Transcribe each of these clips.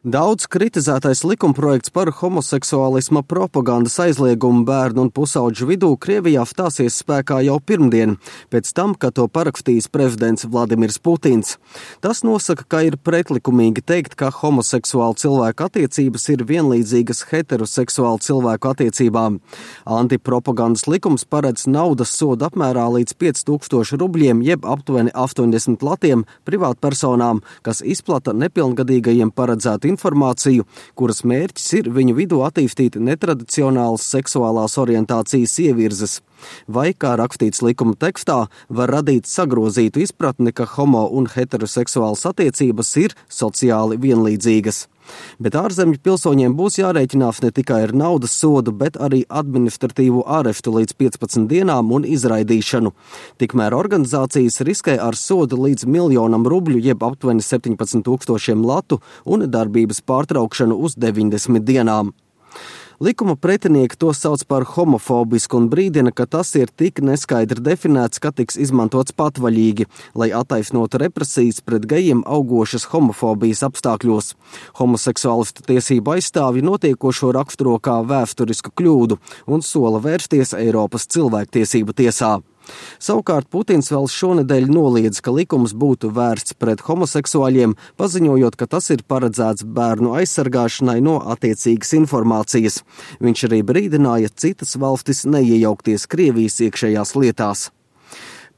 Daudz kritizētais likumprojekts par homoseksuālisma propagandas aizliegumu bērnu un pusauģu vidū Krievijā stāsies spēkā jau pirmdien, pēc tam, kad to parakstījis prezidents Vladimirs Putins. Tas nosaka, ka ir pretlikumīgi teikt, ka homoseksuālu cilvēku attiecības ir vienlīdzīgas heteroseksuālu cilvēku attiecībām. Antipropagandas likums paredz naudas sodu apmērā līdz 5000 rubļiem jeb aptuveni 80 latiem privātpersonām, kas izplata nepilngadīgajiem paredzētu informāciju, kuras mērķis ir viņu vidū attīstīt netradicionālas seksuālās orientācijas ievirzes. Vai, kā rakstīts likuma tekstā, var radīt sagrozītu izpratni, ka homo un heteroseksuālas attiecības ir sociāli vienlīdzīgas. Bet ārzemju pilsoņiem būs jārēķinās ne tikai ar naudas sodu, bet arī administratīvu ārestu līdz 15 dienām un izraidīšanu. Tikmēr organizācijas riskē ar sodu līdz 1 000 000 rubļu jeb aptuveni 17 000 latu un darbības pārtraukšanu uz 90 dienām. Likuma pretinieki to sauc par homofobisku un brīdina, ka tas ir tik neskaidri definēts, ka tiks izmantots patvaļīgi, lai attaisnotu represijas pret gejiem augošas homofobijas apstākļos. Homoseksuālistu tiesību aizstāvji notiekošo raksturo kā vēsturisku kļūdu un sola vērsties Eiropas cilvēktiesību tiesā. Savukārt Putins vēl šonedēļ noliedz, ka likums būtu vērsts pret homoseksuāļiem, paziņojot, ka tas ir paredzēts bērnu aizsargāšanai no attiecīgas informācijas. Viņš arī brīdināja citas valstis neiejaukties Krievijas iekšējās lietās.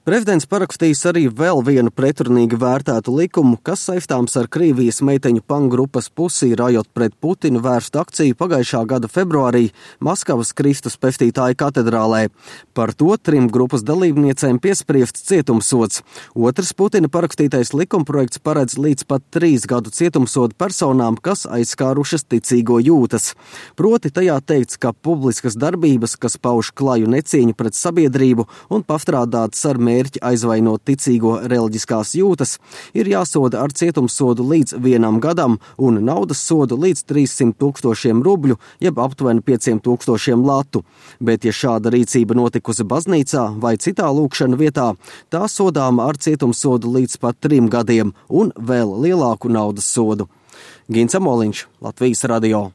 Prezidents parakstījis arī vēl vienu pretrunīgi vērtētu likumu, kas saistāms ar Krievijas meiteņu pangrupas Pusī rajot pret Putinu vērstu akciju pagājušā gada februārī Maskavas Kristus Pestītāja katedrālē. Par to 3 grupas dalībniecēm piespriests cietumsods. Otrs Putina parakstītais likumprojekts paredz līdz pat 3 gadu cietumsodu personām, kas aizskārušas ticīgo jūtas. Proti tajā teikts, ka publiskas darbības, kas pauž klaju necieņu pret sabiedrību un pastrādātas ar mērķi aizvainot ticīgo reliģiskās jūtas, ir jāsoda ar cietumsodu līdz 1 gadam un naudas sodu līdz 300 000 rubļu, jeb aptuveni 5000 latu. Bet, ja šāda rīcība notikusi baznīcā vai citā lūkšana vietā, tā sodāma ar cietumsodu līdz pat 3 gadiem un vēl lielāku naudas sodu. Gins Amoliņš, Latvijas radio.